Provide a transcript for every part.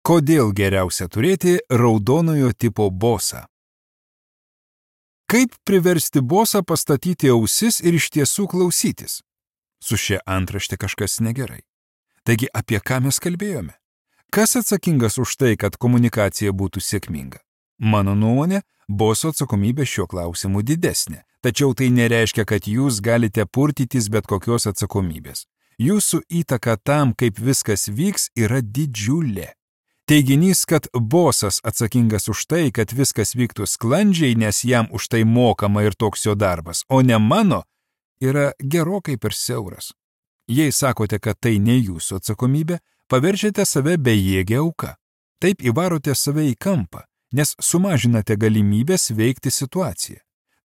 Kodėl geriausia turėti raudonojo tipo bosą? Kaip priversti bosą pastatyti ausis ir iš tiesų klausytis? Su šia antrašte kažkas negerai. Taigi apie ką mes kalbėjome? Kas atsakingas už tai, kad komunikacija būtų sėkminga? Mano nuomonė, boso atsakomybė šiuo klausimu didesnė, tačiau tai nereiškia, kad jūs galite purtytis bet kokios atsakomybės. Jūsų įtaka tam, kaip viskas vyks, yra didžiulė. Teiginys, kad bosas atsakingas už tai, kad viskas vyktų sklandžiai, nes jam už tai mokama ir toks jo darbas, o ne mano, yra gerokai per siauras. Jei sakote, kad tai ne jūsų atsakomybė, paverčiate save bejėgę auką. Taip įvarote save į kampą, nes sumažinate galimybės veikti situaciją.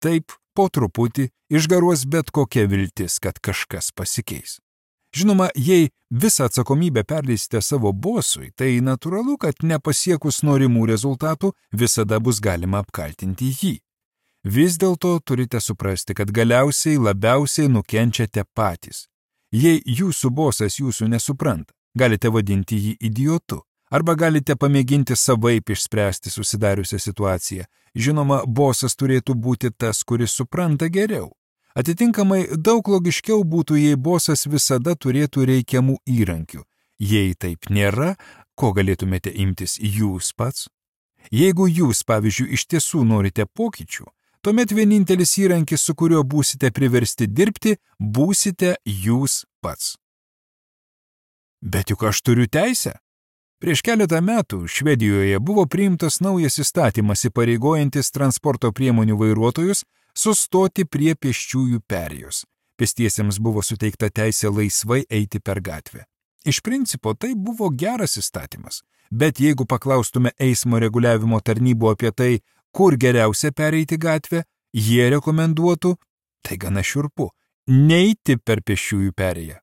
Taip, po truputį išgaruos bet kokia viltis, kad kažkas pasikeis. Žinoma, jei visą atsakomybę perleisite savo bosui, tai natūralu, kad nepasiekus norimų rezultatų visada bus galima apkaltinti jį. Vis dėlto turite suprasti, kad galiausiai labiausiai nukenčiate patys. Jei jūsų bosas jūsų nesupranta, galite vadinti jį idiotu, arba galite pamėginti savaip išspręsti susidariusią situaciją. Žinoma, bosas turėtų būti tas, kuris supranta geriau. Atitinkamai, daug logiškiau būtų, jei bosas visada turėtų reikiamų įrankių. Jei taip nėra, ko galėtumėte imtis jūs pats? Jeigu jūs, pavyzdžiui, iš tiesų norite pokyčių, tuomet vienintelis įrankis, su kuriuo būsite priversti dirbti, būsite jūs pats. Bet juk aš turiu teisę. Prieš keletą metų Švedijoje buvo priimtas naujas įstatymas įpareigojantis transporto priemonių vairuotojus sustoti prie pėsčiųjų perėjos. Pėstiesiems buvo suteikta teisė laisvai eiti per gatvę. Iš principo tai buvo geras įstatymas, bet jeigu paklaustume eismo reguliavimo tarnybų apie tai, kur geriausia pereiti gatvę, jie rekomenduotų, tai gana šiurpu, neiti per pėsčiųjų perėją.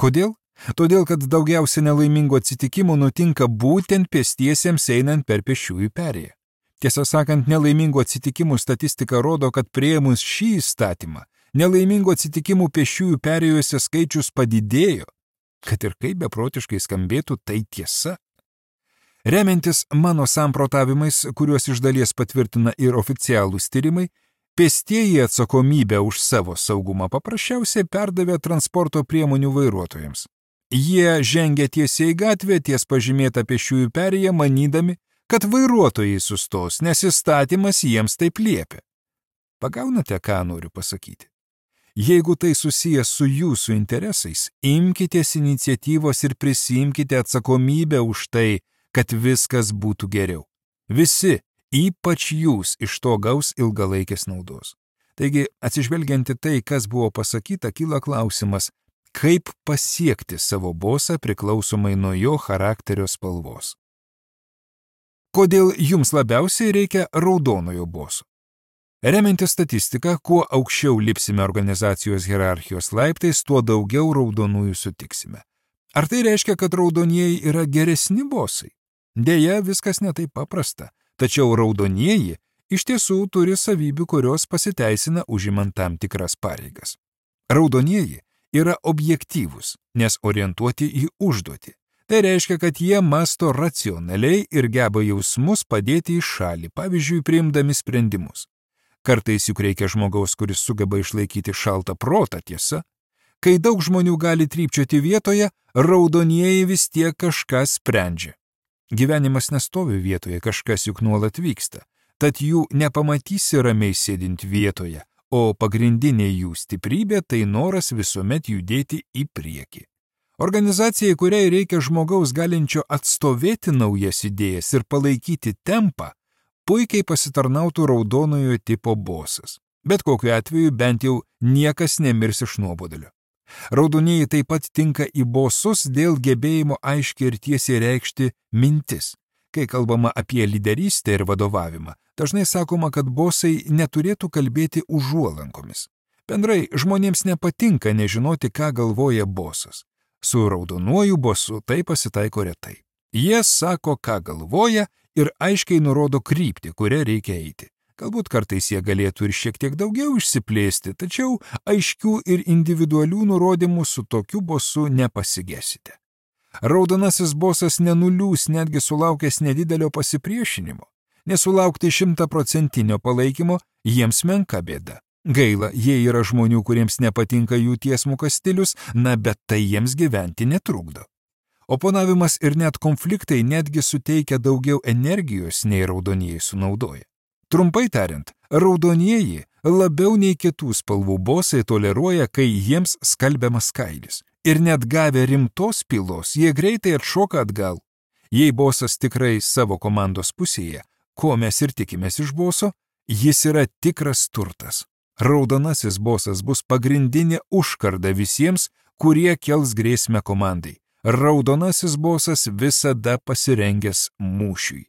Kodėl? Todėl, kad daugiausia nelaimingų atsitikimų nutinka būtent pėstiesiems einant per pėsčiųjų perėją. Tiesą sakant, nelaimingų atsitikimų statistika rodo, kad priėmus šį įstatymą, nelaimingų atsitikimų pėsčiųjų perėjose skaičius padidėjo. Kad ir kaip beprotiškai skambėtų, tai tiesa. Remiantis mano samprotavimais, kuriuos iš dalies patvirtina ir oficialūs tyrimai, pėstieji atsakomybę už savo saugumą paprasčiausiai perdavė transporto priemonių vairuotojams. Jie žengia tiesiai į gatvę ties pažymėtą pėsčiųjų perėją, manydami, kad vairuotojai sustos, nes įstatymas jiems taip liepia. Pagaunate, ką noriu pasakyti? Jeigu tai susijęs su jūsų interesais, imkitės iniciatyvos ir prisiimkite atsakomybę už tai, kad viskas būtų geriau. Visi, ypač jūs, iš to gaus ilgalaikės naudos. Taigi, atsižvelgiant į tai, kas buvo pasakyta, kyla klausimas, kaip pasiekti savo bosą priklausomai nuo jo charakterio spalvos. Kodėl jums labiausiai reikia raudonojo boso? Remiantis statistiką, kuo aukščiau lipsime organizacijos hierarchijos laiptais, tuo daugiau raudonųjų sutiksime. Ar tai reiškia, kad raudonieji yra geresni bosai? Deja, viskas netaip paprasta, tačiau raudonieji iš tiesų turi savybių, kurios pasiteisina užimant tam tikras pareigas. Raudonieji yra objektyvūs, nes orientuoti į užduotį. Tai reiškia, kad jie masto racionaliai ir geba jausmus padėti į šalį, pavyzdžiui, priimdami sprendimus. Kartais juk reikia žmogaus, kuris sugeba išlaikyti šaltą protą, tiesa. Kai daug žmonių gali trypčioti vietoje, raudonieji vis tiek kažką sprendžia. Gyvenimas nestovi vietoje, kažkas juk nuolat vyksta, tad jų nepamatysi ramiai sėdint vietoje, o pagrindinė jų stiprybė tai noras visuomet judėti į priekį. Organizacijai, kuriai reikia žmogaus galinčio atstovėti naujas idėjas ir palaikyti tempą, puikiai pasitarnautų raudonojo tipo bosas. Bet kokiu atveju bent jau niekas nemirs iš nuobodulio. Raudonieji taip pat tinka į bosus dėl gebėjimo aiškiai ir tiesiai reikšti mintis. Kai kalbama apie lyderystę ir vadovavimą, dažnai sakoma, kad bosai neturėtų kalbėti užuolankomis. Bendrai, žmonėms nepatinka nežinoti, ką galvoja bosas. Su raudonuoju bosu tai pasitaiko retai. Jie sako, ką galvoja ir aiškiai nurodo kryptį, kurią reikia eiti. Galbūt kartais jie galėtų ir šiek tiek daugiau išsiplėsti, tačiau aiškių ir individualių nurodymų su tokiu bosu nepasigesite. Raudonasis bosas nenuliūs netgi sulaukęs nedidelio pasipriešinimo. Nesulaukti 100% palaikymo jiems menka bėda. Gaila, jie yra žmonių, kuriems nepatinka jų tiesmukas stilius, bet tai jiems gyventi netrukdo. Oponavimas ir net konfliktai netgi suteikia daugiau energijos, nei raudonieji sunaudoja. Trumpai tariant, raudonieji labiau nei kitų spalvų bosai toleruoja, kai jiems skalbiamas kailis. Ir net gavę rimtos pylos, jie greitai atšoka atgal. Jei bosas tikrai savo komandos pusėje, ko mes ir tikimės iš boso, jis yra tikras turtas. Raudonasis bosas bus pagrindinė užkarda visiems, kurie kels grėsmę komandai. Raudonasis bosas visada pasirengęs mūšiui.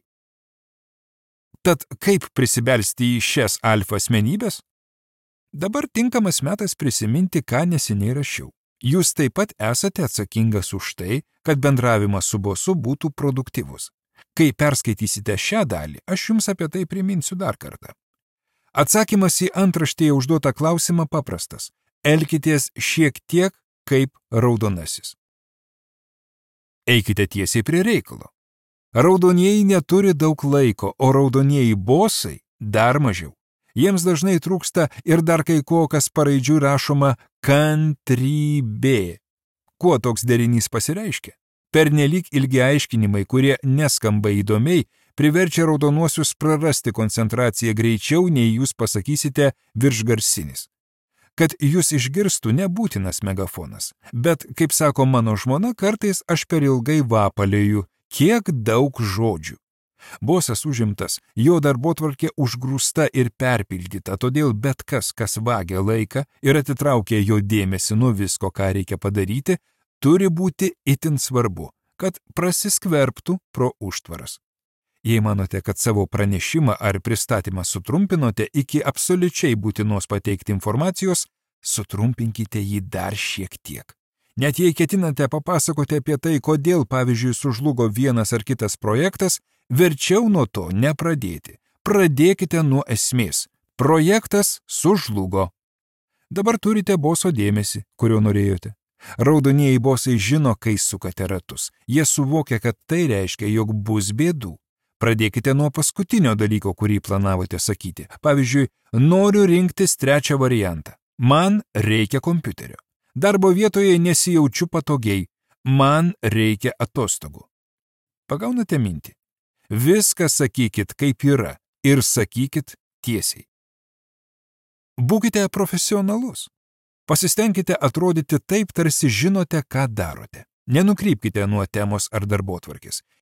Tad kaip prisibelsti į šias alfa asmenybės? Dabar tinkamas metas prisiminti, ką neseniai rašiau. Jūs taip pat esate atsakingas už tai, kad bendravimas su bosu būtų produktyvus. Kai perskaitysite šią dalį, aš jums apie tai priminsiu dar kartą. Atsakymas į antraštėje užduotą klausimą paprastas. Elkitės šiek tiek kaip raudonasis. Eikite tiesiai prie reikalo. Raudonieji neturi daug laiko, o raudonieji bosai dar mažiau. Jiems dažnai trūksta ir dar kai ko, kas paraidžiui rašoma kantrybė. Kuo toks derinys pasireiškia? Pernelyg ilgi aiškinimai, kurie neskamba įdomiai, priverčia raudonuosius prarasti koncentraciją greičiau, nei jūs pasakysite viršgarsinis. Kad jūs išgirstų nebūtinas megafonas, bet, kaip sako mano žmona, kartais aš per ilgai vapalėju, kiek daug žodžių. Bosas užimtas, jo darbotvarkė užgrūsta ir perpildyta, todėl bet kas vagia laiką ir atitraukia jo dėmesį nuo visko, ką reikia padaryti, turi būti itin svarbu, kad prasiskverbtų pro užtvaras. Jei manote, kad savo pranešimą ar pristatymą sutrumpinote iki absoliučiai būtinos pateikti informacijos, sutrumpinkite jį dar šiek tiek. Net jei ketinate papasakoti apie tai, kodėl, pavyzdžiui, sužlugo vienas ar kitas projektas, verčiau nuo to nepradėti. Pradėkite nuo esmės. Projektas sužlugo. Dabar turite boso dėmesį, kurio norėjote. Raudonieji bosai žino, kai sukate ratus. Jie suvokia, kad tai reiškia, jog bus bėdų. Pradėkite nuo paskutinio dalyko, kurį planavote sakyti. Pavyzdžiui, noriu rinktis trečią variantą. Man reikia kompiuterio. Darbo vietoje nesijaučiu patogiai. Man reikia atostogų. Pagaunate mintį? Viską sakykit, kaip yra, ir sakykit tiesiai. Būkite profesionalus. Pasistengkite atrodyti taip, tarsi žinote, ką darote. Nenukrypkite nuo temos ar darbotvarkės.